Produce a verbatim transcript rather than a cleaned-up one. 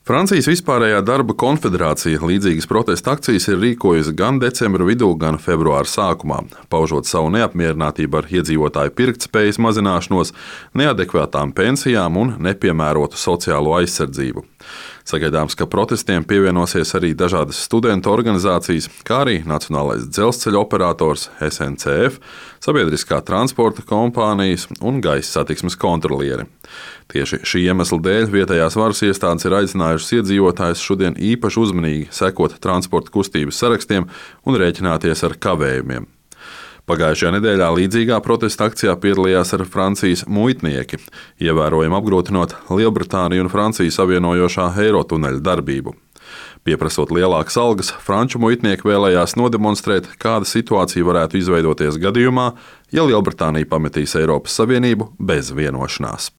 Francijas vispārējā darba konfederācija līdzīgas protesta akcijas ir rīkojusi gan decembra vidū, gan februāra sākumā, paužot savu neapmierinātību ar iedzīvotāju pirktspējas mazināšanos, neadekvātām pensijām un nepiemērotu sociālo aizsardzību. Sagaidāms, ka protestiem pievienosies arī dažādas studentu organizācijas, kā arī Nacionālais dzelzceļa operators S N C F, sabiedriskā transporta kompānijas un gaisa satiksmes kontrolieri. Tieši šī iemesla dēļ vietējās varas iestādes ir aicinājušas iedzīvotājus šodien īpaši uzmanīgi sekot transporta kustības sarakstiem un rēķināties ar kavējumiem. Pagājušajā nedēļā līdzīgā protesta akcijā piedalījās arī Francijas muitnieki, ievērojami apgrūtinot Lielbritāniju un Franciju savienojošā Eirotuneļa darbību. Pieprasot lielākas algas, franču muitnieki vēlējās nodemonstrēt, kāda situācija varētu izveidoties gadījumā, ja Lielbritānija pametīs Eiropas Savienību bez vienošanās.